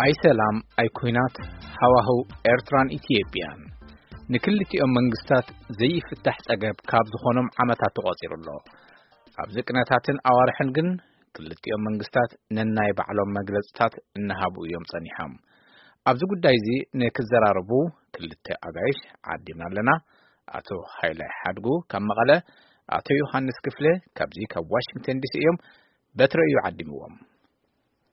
ኣይ ሰላም ኣይ ኲናት፣ ሃዋህው ኤርትራን ኢትዮጵያን ንክልቲኦም መንግስታት ዘይፍታሕ ጸገብ ካብ ዝኾኖም ዓመታት ተቖጺሩ ኣሎ። ኣብዚ ቅነታትን ኣዋርሕን ግን ክልቲኦም መንግስታት ነናይ ባዕሎም መግለጽታት እናሃቡ እዮም ጸኒሖም። ኣብዚ ጉዳይ እዚ ንክዘራረቡ ክልተ ኣጋይሽ ዓዲምና ኣለና። ኣቶ ሃይላይ ሓድጉ ካብ መቐለ፣ ኣቶ ዮሃንስ ክፍለ ካብዚ ካብ ዋሽንግተን ዲሲ እዮም። በትረ እዩ ዓዲምዎም።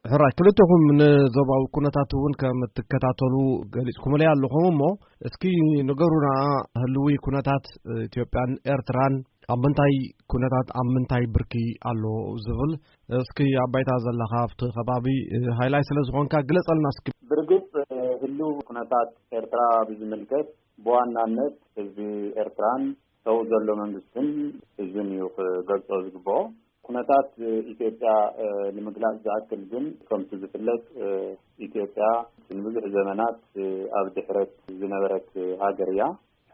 ሕራይ፣ ክልተኹም ንዞባዊ ኩነታት እውን ከም እትከታተሉ ገሊጽኩምለይ ኣለኹም እሞ፣ እስኪ ንገሩና፣ ህልዊ ኩነታት ኢትዮጵያን ኤርትራን ኣብ ምንታይ ኩነታት፣ ኣብ ምንታይ ብርኪ ኣሎ ዝብል፣ እስኪ ኣብ ባይታ ዘለኻ ኣብቲ ከባቢ ሃይላይ ስለ ዝኾንካ ግለጸልና እስኪ። ብርግጽ፣ ህልው ኩነታት ኤርትራ ብዝምልከት፣ ብዋናነት ህዝቢ ኤርትራን ሰው ዘሎ መንግስትን ህዝብን እዩ ክገልጾ ዝግብኦ። ኩነታት ኢትዮጵያ፣ እ፣ ንምግላጽ ዝኣክል ግን፣ ከምቲ ዝፍለጥ፣ እ፣ ኢትዮጵያ ንብዙሕ ዘመናት፣ እ፣ ኣብ ድሕረት ዝነበረት ሃገር እያ።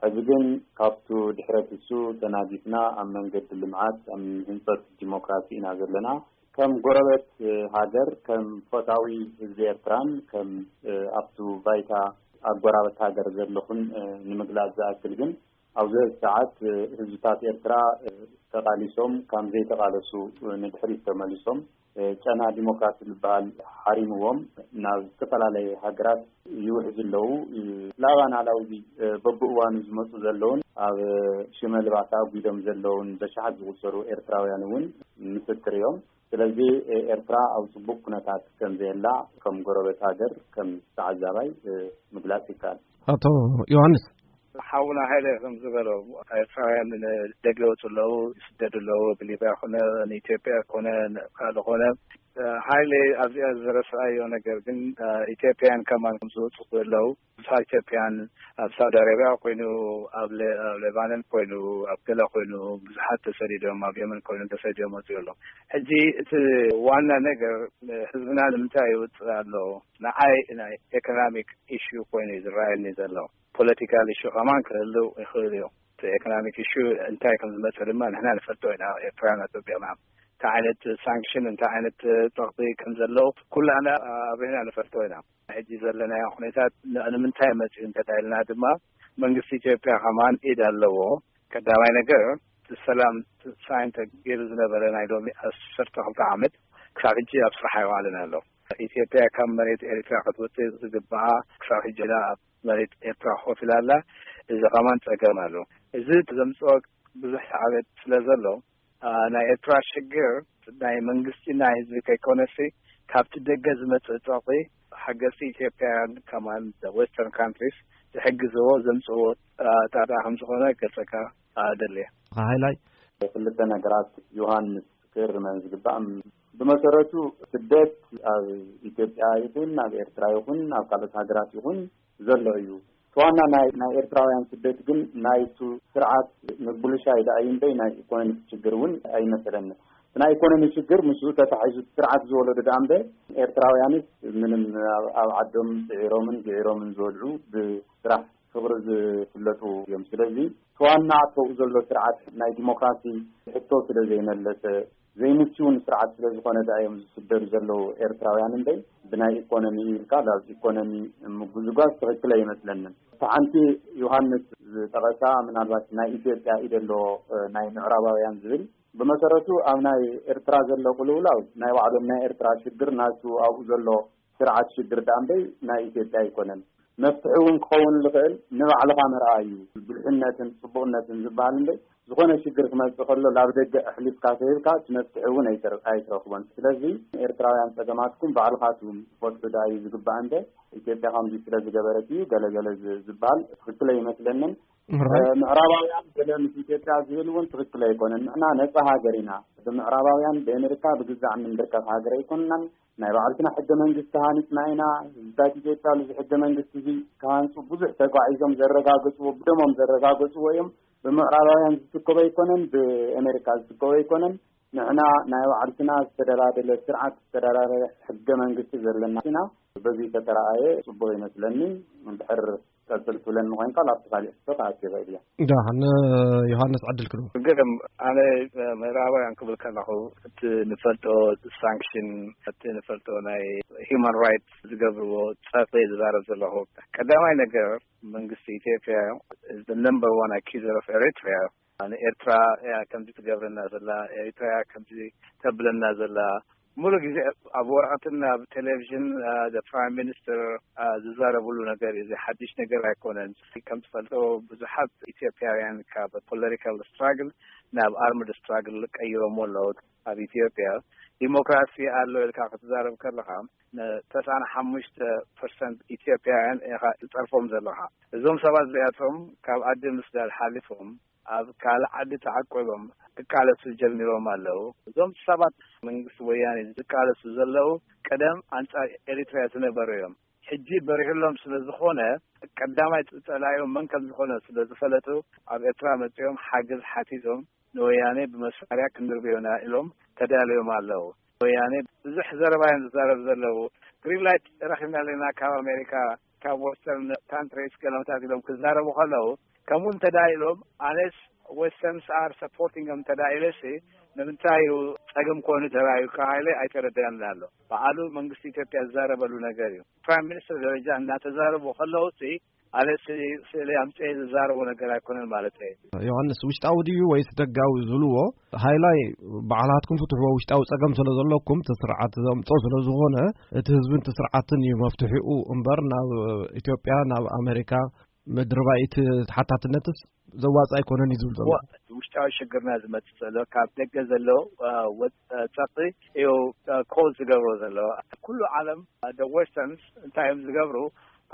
ሕዚ ግን ካብቱ ድሕረት እሱ ተናጊፍና ኣብ መንገዲ ልምዓት፣ ኣብ ህንጸት ዲሞክራሲ ኢና ዘለና። ከም ጎረቤት፣ እ፣ ሃገር፣ ከም ፈታዊ ህዝቢ ኤርትራን ከም፣ እ፣ ኣብቱ ባይታ ኣጎራበት ሃገር ዘለኹን፣ እ፣ ንምግላጽ ዝኣክል ግን፣ ኣብዚ ሰዓት፣ እ፣ ህዝብታት ኤርትራ፣ እ፣ ተቓሊሶም፣ ከም ዘይተቓለሱ፣ እ፣ ንድሕሪት ተመሊሶም፣ እ፣ ጨና ዲሞክራሲ ዝበሃል ሓሪምዎም፣ ናብ ዝተፈላለየ ሃገራት ይውሕዙ ኣለዉ። እ፣ ላባን ኣላውዚ፣ እ፣ በብእዋኑ ዝመጹ ዘለውን፣ ኣብ ሽመልባት ኣጒዶም ዘለውን በሽሓት ዝቑጸሩ ኤርትራውያን እውን ምስክር እዮም። ስለዚ፣ እ፣ ኤርትራ ኣብ ጽቡቕ ኩነታት ከም ዘየላ፣ ከም ጎረቤት ሃገር፣ ከም ተዓዛባይ፣ እ፣ ምግላጽ ይከኣል። ኣቶ ዮሃንስ። ሓውና ሃይለ ከም ዝበሎ፣ ኤርትራውያን ንደገ ይወጹ ኣለዉ፣ ይስደዱ ኣለዉ። ብሊብያ ኮነ፣ ንኢትዮጵያ ኮነ፣ ካልእ ኮነ። እ፣ ሃይለ ኣብዚኣ ዝረስዓዮ ነገር ግን፣ እ፣ ኢትዮጵያን ከማን ከም ዝወጹ ኣለዉ። ብዙሓት ኢትዮጵያን ኣብ ሳውዲ ኣረብያ ኮይኑ፣ ኣብ ለ-፣ ኣብ ሌባኖን ኮይኑ፣ ኣብ ገለ ኮይኑ፣ ብዙሓት ተሰዲዶም፣ ኣብ የመን ኮይኑ ተሰዲዶም ወጺኡ ኣለዉ። ሕጂ እቲ ዋና ነገር፣ እ፣ ህዝብና ንምንታይ ይወጽእ ኣሎ? ንዓይ ናይ ኤኮኖሚክ ኢሹ ኮይኑ እዩ ዝረኣየኒ ዘሎ። ፖለቲካል ኢሹ ከማን ክህልው ይኽእል እዩ። እቲ ኤኮኖሚክ ኢሹ እንታይ ከም ዝመጽእ ድማ ንሕና ንፈልጦ ኢና፣ ኤርትራውያን ኣጸቢቕና። እንታይ ዓይነት ሳንክሽን፣ እንታይ ዓይነት ጸቕጢ ከም ዘሎ ኩላና ኣብሪህና ንፈልጦ ኢና። ሕጂ ዘለናዮ ኩነታት ን-፣ ንምንታይ መጽኡ እንተዳኢልና ድማ መንግስቲ ኢትዮጵያ ከማን ኢድ ኣለዎ። ቀዳማይ ነገር፣ እቲ ሰላም ሳይን ተገይሩ ዝነበረ ናይ ሎሚ ዓሰርተ ክልተ ዓመት ክሳብ ሕጂ ኣብ ስራሕ ኣይዋዕለን ኣሎ። ኢትዮጵያ ካብ መሬት ኤርትራ ክትወጽእ ዝግባኣ ክሳብ ሕጂ ኢላ ኣብ መሬት ኤርትራ ኮፍ ኢላ ኣላ። እዚ ከማን ጸገም ኣሎ። እዚ ዘምጽኦ ብዙሕ ሳዕቤን ስለ ዘሎ፣ ኣ፣ ናይ ኤርትራ ሽግር ናይ መንግስቲ ናይ ህዝቢ ከይኮነሲ፣ ካብቲ ደገ ዝመጽእ ጸቕጢ፣ ሓገዝቲ ኢትዮጵያውያን ከማን ዌስተርን ካንትሪስ ዝሕግዝዎ ዘምጽእዎ፣ ኣ፣ ጣጣ ከም ዝኾነ ክገልጸካ፣ ኣ፣ ደልየ። ሃይላይ። ክልተ ነገራት ዮሃንስ ክርመን ዝግባእ። ብመሰረቱ ስደት ኣብ ኢትዮጵያ ይኹን ኣብ ኤርትራ ይኹን ኣብ ካልኦት ሃገራት ይኹን ዘሎ እዩ። እቲ ዋና ናይ፣ ናይ ኤርትራውያን ስደት ግን ናይቱ ስርዓት ምብልሻይ ደኣ እዩ እምበይ ናይ ኢኮኖሚ ሽግር እውን ኣይመሰለኒ። እቲ ናይ ኢኮኖሚ ሽግር ምስኡ ተታሒዙ ስርዓት ዝወለዶ ደኣ እምበይ ኤርትራውያንስ ምንም ኣብ፣ ኣብ ዓዶም ጽዒሮምን ግዒሮምን ዝበልዑ ብስራሕ ክብሪ ዝፍለጡ እዮም። ስለዚ እቲ ዋና ኣብኡ ዘሎ ስርዓት ናይ ዲሞክራሲ ሕቶ ስለ ዘይመለሰ፣ ዘይምችውን ስርዓት ስለ ዝኾነ ደኣ እዮም ዝስደዱ ዘለዉ ኤርትራውያን እምበይ፣ ብናይ ኢኮኖሚ ኢልካ ናብ ኢኮኖሚ ምጉዝጓዝ ትኽክል ኣይመስለንን። እታ ሓንቲ ዮሃንስ ዝጠቐሳ ምናልባት ናይ ኢትዮጵያ ኢድ ኣለዎ፣ እ፣ ናይ ምዕራባውያን ዝብል፣ ብመሰረቱ ኣብ ናይ ኤርትራ ዘሎ ቅልውላው ናይ ባዕሎም ናይ ኤርትራ ሽግር ናቱ ኣብኡ ዘሎ ስርዓት ሽግር ደኣ እምበይ ናይ ኢትዮጵያ ኣይኮነን። መፍትሒ እውን ክኸውን ዝኽእል ንባዕልኻ ምርኣይ እዩ። ብልሕነትን ጽቡቕነትን ዝበሃል እምበይ፣ ዝኾነ ሽግር ክመጽእ ከሎ ናብ ደገ ኣሕሊፍካ ተሂብካ እቲ መፍትሒ እውን ኣይትር-፣ ኣይትረኽቦን። ስለዚ ኤርትራውያን ጸገማትኩም ባዕልኻትኩም ትፈትሑ ደኣ እዩ ዝግባእ እምበይ፣ ኢትዮጵያ ከምዚ ስለ ዝገበረት እዩ ገለ ገለ ዝ-፣ ዝበሃል ትኽክል ኣይመስለንን። እ፣ ምዕራባውያን ገለ ምስ ኢትዮጵያ ዝብል እውን ትኽክል ኣይኮነን። ንሕና ነጻ ሃገር ኢና። ብምዕራባውያን ብኣሜሪካ ብግዛዕ እንርከብ ሃገር ኣይኮንናን። ናይ ባዕልትና ሕገ መንግስቲ ሃኒጽና ኢና። ህዝብታት ኢትዮጵያ ነዚ ሕገ መንግስቲ እዚ ክሃንጹ ብዙሕ ተጓዒዞም ዘረጋገጽዎ፣ ብደሞም ዘረጋገጽዎ እዮም። ብምዕራባውያን ዝትከቦ ኣይኮነን፣ ብኣሜሪካ ዝትከቦ ኣይኮነን። ንሕና ናይ ባዕልትና ዝተደላደለ ስርዓት፣ ዝተደላደለ ሕገ መንግስቲ ዘለና ኢና። በዚ ተተረኣየ ጽቡቕ ይመስለኒ። እንድሕር ቀጽል ትብለኒ ኮይንካ፣ ኣብቲ ካሊእ ሕቶ ክኣቱ ይኽእል እየ። ደሓን፣ ዮሃንስ ዕድል ክህብ። ግርም፣ ኣነ ምዕራባውያን ክብል ከለኹ፣ እቲ ንፈልጦ ሳንክሽን፣ እቲ ንፈልጦ ናይ ሂውማን ራይትስ ዝገብርዎ ጸርፊ ዝዛረብ ዘለኹ። ቀዳማይ ነገር፣ መንግስቲ ኢትዮጵያ is the number one accuser of Eritrea። ንኤርትራ እያ ከምዚ ትገብረና ዘላ፣ ኤርትራ እያ ከምዚ ተብለና ዘላ። ሙሉ ግዜ ኣብ ወረቐትን ኣብ ቴሌቪዥን፣ ፕራይም ሚኒስትር ዝዛረብሉ ነገር እዩ። እዚ ሓድሽ ነገር ኣይኮነን። ከም ትፈልጦ፣ ብዙሓት ኢትዮጵያውያን ካብ ፖለቲካል ስትራግል ናብ ኣርምድ ስትራግል ቀይሮሞ ኣለዉ። ኣብ ኢትዮጵያ ዲሞክራሲ ኣሎ ኢልካ ክትዛረብ ከለኻ፣ ን95% ኢትዮጵያውያን ኢኻ ትጸርፎም ዘለኻ። እዞም ሰባት እዚኣቶም ካብ ዓዲ ምስዳድ ሓሊፎም፣ ኣብ ካልእ ዓዲ ተዓቆቦም ክቃለሱ ጀሚሮም ኣለዉ። እዞም ሰባት፣ መንግስቲ ወያኔ ዝቃለሱ ዘለዉ፣ ቀደም ኣንጻር ኤሪትርያ ዝነበሩ እዮም። ሕጂ በሪሁሎም ስለ ዝኾነ፣ ቀዳማይ ጸላኢኦም መን ከም ዝኾነ ስለ ዝፈለጡ፣ ኣብ ኤርትራ መጺኦም ሓገዝ ሓቲቶም፣ ንወያኔ ብመሳርያ ክንድርብዮና ኢሎም ተዳልዮም ኣለዉ። ወያኔ ብዙሕ ዘረባ እዮም ዝዛረብ ዘለዉ። ግሪን ላይት ረኺብና ኣለና ካብ ኣሜሪካ፣ ካብ ወስተርን ካንትሪስ ገለመታት ኢሎም ክዛረቡ ከለዉ፣ ከምኡ እንተዳ ኢሎም፣ ኣነስ፣ westerns are supporting them እንተዳ ኢለሲ፣ ንምንታይ እዩ ጸገም ኮይኑ ተራእዩ ካባይለ ኣይተረዳንን ኣሎ። በዓሉ መንግስቲ ኢትዮጵያ ዝዛረበሉ ነገር እዩ። ፕራይም ሚኒስትር ደረጃ እናተዛረቡ ከለዉ ሲ፣ ኣነስ ስእሊ ኣምጽኤ ዝዛረቦ ነገር ኣይኮነን ማለት እዩ። ዮሃንስ፣ ውሽጣዊ ድዩ ወይስ ደጋዊ ዝብልዎ፣ ሃይላይ ባዕላትኩም ፍትሕዎ፣ ውሽጣዊ ጸገም ስለ ዘለኩም፣ እቲ ስርዓት ዘምጾ ስለ ዝኾነ፣ እቲ ህዝብን እቲ ስርዓትን እዩ መፍትሒኡ እምበር፣ ናብ ኢትዮጵያ፣ ናብ ኣሜሪካ፣ ምድሪ ባይት ተሓታትነትስ ዘዋጽእ ኣይኮነን እዩ ዝብል ዘሎ። እዋ፣ ውሽጣዊ ሽግርና ዝመጽእ ዘሎ ካብ ደገ ዘሎ፣ አ፣ ወ-፣ አ፣ ጸቕጢ እዩ፣ አ፣ ኮዝ ዝገብሮ ዘሎ። ኩሉ ዓለም፣ አ፣ the westerns እንታይ እዮም ዝገብሩ?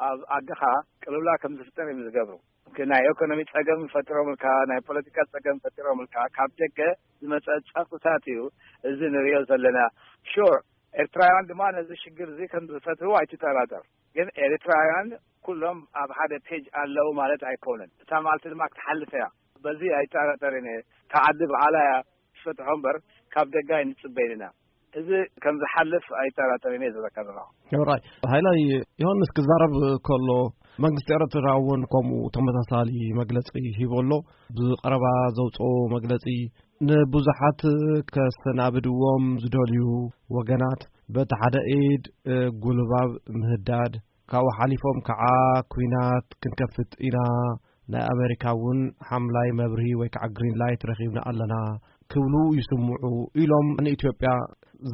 ኣብ ዓድኻ ቅልውላ ከም ዝፍጠር እዮም ዝገብሩ። ግን ናይ ኢኮኖሚ ጸገም ፈጢሮምልካ፣ ናይ ፖለቲካ ጸገም ፈጢሮምልካ፣ ካብ ደገ ዝመጸ ጸቕጥታት እዩ እዚ ንሪኦ ዘለና። ሹር፣ ኤርትራውያን ድማ ነዚ ሽግር እዚ ከም ዝፈትሕዎ ኣይትጠራጠር። ግን ኤርትራውያን ኩሎም ኣብ ሓደ ፔጅ ኣለዉ ማለት ኣይኮነን። እታ መዓልቲ ድማ ክትሓልፍ እያ። በዚ ኣይጠራጠርን እየ። እታ ዓዲ ባዕላ እያ ትፈትሖ እምበር፣ ካብ ደገ ኣይንጽበይን ኢና። እዚ ከም ዝሓልፍ ኣይጠራጠርን እየ ዝብለካ ዘለኹ። ራይ ሃይላይ፣ ዮሃንስ ክዛረብ ከሎ፣ መንግስቲ ኤርትራ እውን ከምኡ ተመሳሳሊ መግለጺ ሂቡ ኣሎ። ብቐረባ ዘውጽኦ መግለጺ፣ ንብዙሓት ከሰናብድዎም ዝደልዩ ወገናት በቲ ሓደ ኢድ፣ እ፣ ጉልባብ ምህዳድ፣ ካብኡ ሓሊፎም ከዓ ኲናት ክንከፍት ኢና፣ ናይ ኣሜሪካ እውን ሓምላይ መብርሂ ወይ ከዓ ግሪን ላይት ረኺብና ኣለና ክብሉ ይስምዑ ኢሎም ንኢትዮጵያ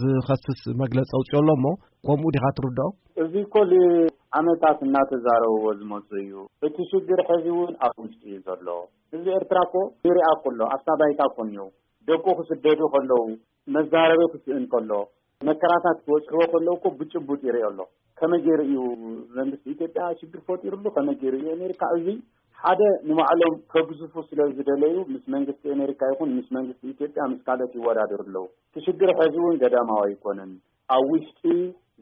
ዝኸስስ መግለጺ ኣውፅኦ ኣሎ። እሞ ከምኡ ዲኻ ትርድኦ? እዚ እኮ ንዓመታት እናተዛረብዎ ዝመፁ እዩ። እቲ ሽግር ሕዚ እውን ኣብ ውሽጢ እዩ ዘሎ። ህዝቢ ኤርትራ እኮ ይሪኣ እኮ ኣሎ። ኣብታ ባይታ እኮ እኒኦ። ደቁ ክስደዱ ከለዉ፣ መዛረቢ ክስእን ከሎ፣ መከራታት ክበፅሕዎ ከለዉ እኮ ብጭቡጥ ይሪኦ ኣሎ። ከመይ ገይሩ እዩ መንግስቲ ኢትዮጵያ ሽግር ፈጢሩሉ? ከመይ ገይሩ እዩ ኣሜሪካ? እዚ ሓደ ንባዕሎም ከግዝፉ ስለ ዝደለዩ፣ ምስ መንግስቲ ኣሜሪካ ይኹን ምስ መንግስቲ ኢትዮጵያ፣ ምስ ካልኦት ይወዳደሩ ኣለዉ። እቲ ሽግር ሕዚ እውን ገዳማዊ ኣይኮነን። ኣብ ውሽጢ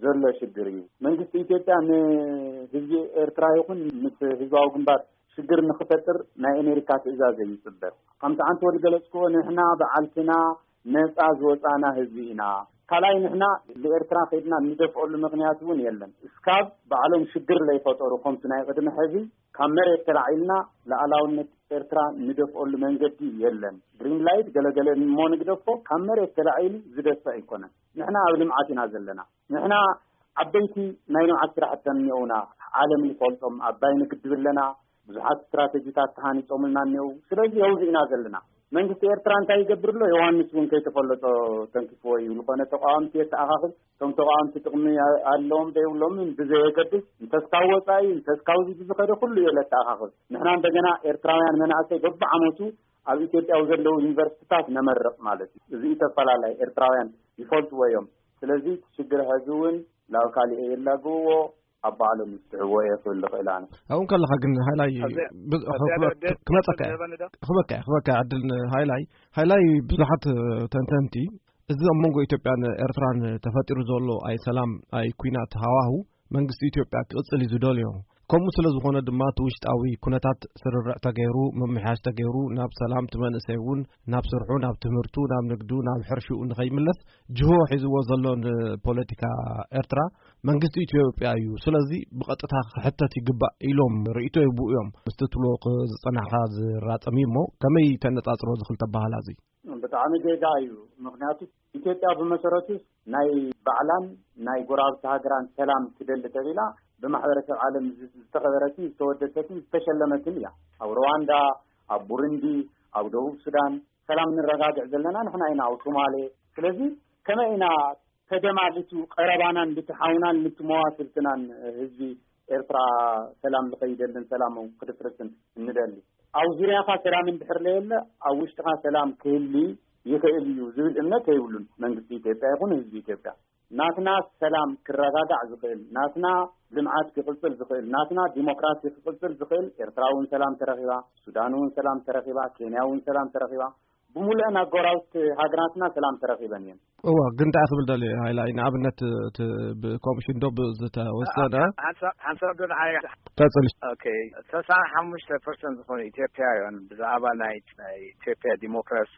ዘሎ ሽግር እዩ። መንግስቲ ኢትዮጵያ ንህዝቢ ኤርትራ ይኹን ምስ ህዝባዊ ግንባር ሽግር ንኽፈጥር ናይ ኣሜሪካ ትእዛዝ እዩ ዝጽበ። ከምቲ ዓንተወል ገለጽክዎ፣ ንሕና በዓልትና ነጻ ዝወጻና ህዝቢ ኢና። ካልኣይ፣ ንሕና ንኤርትራ ከይድና እንደፍኦሉ ምኽንያት እውን የለን። እስካብ ባዕሎም ሽግር ለይፈጠሩ፣ ከምቲ ናይ ቅድሚ ሕዚ ካብ መሬት ተላዒልና ሉዓላውነት ኤርትራ እንደፍኦሉ መንገዲ የለን። ግሪን ላይት ገለገለ እሞ ንግደፎ፣ ካብ መሬት ተላዒሉ ዝደፍእ ኣይኮነን። ንሕና ኣብ ልምዓት ኢና ዘለና። ንሕና ዓበይቲ ናይ ልምዓት ስራሕቲ እኒኦውና፣ ዓለም ዝፈልጦም። ኣባይ ንግድብ ኣለና፣ ብዙሓት ስትራተጂታት ተሃኒጾምልና እኒኦው። ስለዚ ኣብዚ ኢና ዘለና። መንግስቲ ኤርትራ እንታይ ይገብር ኣሎ? ዮሃንስ እውን ከይተፈለጦ ተንኪፍዎ እዩ። ዝኾነ ተቃወምቲ የተኣኻኽብ፣ እቶም ተቃወምቲ ጥቕሚ ኣለዎም ዘይብሎምን ብዘየገድስ፣ እንተስካብ ወጻኢ፣ እንተስካብዚ ብዝኸደ ኩሉ እየ ለተኣኻኽብ። ንሕና እንደገና ኤርትራውያን መናእሰይ በብዓመቱ ኣብ ኢትዮጵያ ኣብ ዘለዉ ዩኒቨርሲቲታት ነመርቕ ማለት እዩ። እዚ እዩ ተፈላላይ፣ ኤርትራውያን ይፈልጥዎ እዮም። ስለዚ እቲ ሽግር ሕዚ እውን ናብ ካሊእ የላግብዎ፣ ኣብ ባዕሎም ይፍትሕዎ እየ ክብል ዝኽእል ኣነ። ኣብኡ ከለኻ ግን ሃይላይ ኣብዚ፣ ብ-፣ ኣብዚ ሓደ ዕድል ክመጸካ እየ። ዝህበኒ ዶ? ክበካ እየ፣ ክበካ እየ ዕድል ንሃይላይ። ሃይላይ፣ ብዙሓት ተንተንቲ፣ እዚ ኣብ መንጎ ኢትዮጵያን ኤርትራን ተፈጢሩ ዘሎ ኣይ ሰላም ኣይ ኲናት ሃዋሁ መንግስቲ ኢትዮጵያ ክቕጽል እዩ ዝደልዮ። ከምኡ ስለ ዝኾነ ድማ እቲ ውሽጣዊ ኩነታት ስርርዕ ተገይሩ፣ ምምሕያሽ ተገይሩ፣ ናብ ሰላም፣ እቲ መንእሰይ እውን ናብ ስርሑ፣ ናብ ትምህርቱ፣ ናብ ንግዱ፣ ናብ ሕርሽኡ ንኸይምለስ ጅሆ ሒዝዎ ዘሎ ንፖለቲካ ኤርትራ መንግስቲ ኢትዮጵያ እዩ። ስለዚ ብቐጥታ ክሕተት ይግባእ ኢሎም ርእይቶ ይብኡ እዮም። ምስቲ ትብሎ ክ-፣ ዝጸናሕካ ዝራጸም እዩ እሞ ከመይ ተነጻጽሮ እዚ ክልተ ኣበሃህላ እዚ? ብጣዕሚ ጌጋ እዩ። ምኽንያቱ ኢትዮጵያ ብመሰረቱ ናይ ባዕላን ናይ ጎረባብቲ ሃገራን ሰላም ትደሊ ተቢላ ብማሕበረሰብ ዓለም ዝ-፣ ዝተኸበረትን ዝተወደሰትን ዝተሸለመትን እያ። ኣብ ሩዋንዳ፣ ኣብ ቡሩንዲ፣ ኣብ ደቡብ ሱዳን ሰላም ንረጋግዕ ዘለና ንሕና ኢና፣ ኣብ ሶማሌ። ስለዚ ከመይ ኢና ተደማሊቱ ቀረባናን ልቲ ሓውናን ልቲ መዋስብትናን ህዝቢ ኤርትራ ሰላም ዝኸይደልን ሰላም ክድፍርስን እንደሊ? ኣብ ዙርያኻ ሰላም እንድሕር ለየለ ኣብ ውሽጥኻ ሰላም ክህሊ ይኽእል እዩ ዝብል እምነት የብሉን መንግስቲ ኢትዮጵያ ይኹን ህዝቢ ኢትዮጵያ። ናትና ሰላም ክረጋጋዕ ዝኽእል፣ ናትና ልምዓት ክቕጽል ዝኽእል፣ ናትና ዲሞክራሲ ክቕጽል ዝኽእል ኤርትራ እውን ሰላም ተረኺባ፣ ሱዳን እውን ሰላም ተረኺባ፣ ኬንያ እውን ሰላም ተረኺባ፣ ብምሉአን ኣጎራብቲ ሃገራትና ሰላም ተረኺበን እየን። እዋ፣ ግን እንታይ ክብል ደልየ፣ ሃይላይ፣ ንኣብነት፣ እቲ ብኮሚሽን ዶ ብዝተወሰነ ሓንሳብ፣ ሓንሳብ ዶ ንዓይ? ቀጽል። ኦኬ፣ ተስዓን ሓሙሽተ ፐርሰንት ዝኾኑ ኢትዮጵያውያን ብዛዕባ ናይ፣ ናይ ኢትዮጵያ ዲሞክራሲ፣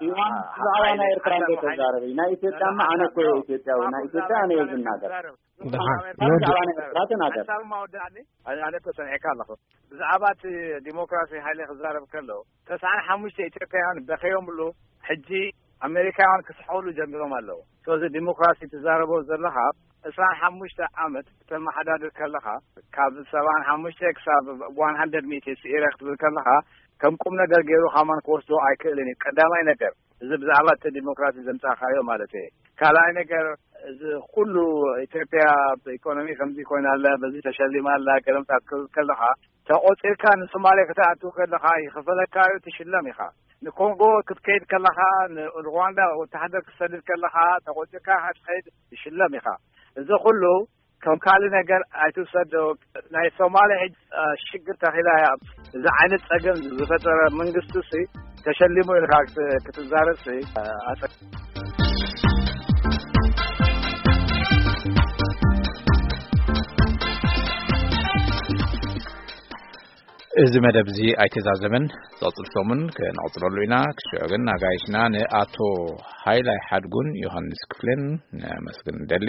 ኢዋን፣ አ-፣ ብዛዕባ ናይ ሓይሊ ኤርትራ እንዶ ሓሳብ ተዛረቢ። ናይ ኢትዮጵያ፣ ሓሳብ ኣነ እኮ እየ ኢትዮጵያዊ፣ ናይ ኢትዮጵያ ኣነ እየ ዝናገር። ደሓን። ሓሳብ ብዛዕባ ናይ ኤርትራ ተናገር። ሓሳብ ማወዳእኒ፣ ኣነ፣ ኣነ እኮ ሰሚዐካ ኣለኹ። ብዛዕባ እቲ ዲሞክራሲ ሓይሊ ክዛረብ ከሎ፣ ተስዓን ሓሙሽተ ኢትዮጵያውያን በኸዮምሉ፣ ሕጂ ኣሜሪካውያን ክስሕቑሉ ጀሚሮም ኣለዉ። ስለዚ ዲሞክራሲ ትዛረቦ ዘለኻ፣ ዕስራን ሓሙሽተ ዓመት ክተመሓዳድር ከለኻ፣ ካብ ሰብዓን ሓሙሽተ ክሳብ ዋን ሃንድረድ ሚእቲ ስኢረ ክትብል ከለኻ፣ ከም ቁም ነገር ገይሩ ከማን ክወስዶ ኣይክእልን እዩ። ቀዳማይ ነገር፣ እዚ ብዛዕባ እቲ ዲሞክራሲ ዘምጻእካዮ ማለት እየ። ካልኣይ ነገር፣ እዚ ኩሉ ኢትዮጵያ ብኢኮኖሚ ከምዚ ኮይና ኣላ፣ በዚ ተሸሊማ ኣላ፣ ገለምታት ክትብል ከለኻ፣ ተቖጺርካ ንሶማሌ ክትኣትው ከለኻ ይኽፈለካ እዩ፣ ትሽለም ኢኻ። ንኮንጎ ክትከይድ ከለኻ፣ ንሩዋንዳ ወተሃደር ክትሰድድ ከለኻ፣ ተቖጺርካ ኢኻ ትኸይድ፣ ትሽለም ኢኻ። እዚ ኩሉ ከም ካልእ ነገር ኣይትውሰዶ። ናይ ሶማሌ ሕጂ፣ አ፣ ሽግር ተኺላ እያ። እዚ ዓይነት ጸገም ዝፈጠረ መንግስቲ ሲ ተሸሊሙ ኢልካ ክት-፣ ክትዛረብ ሲ፣ አ፣ ኣጸ-፣ እዚ መደብ እዚ ኣይተዛዘመን። ዝቕጽል ሰሙን ክንቕጽለሉ ኢና። ክስዕዮ ግን ኣጋይሽና ንኣቶ ሃይላይ ሓድጉን ዮሃንስ ክፍሌን ነመስግን ንደሊ።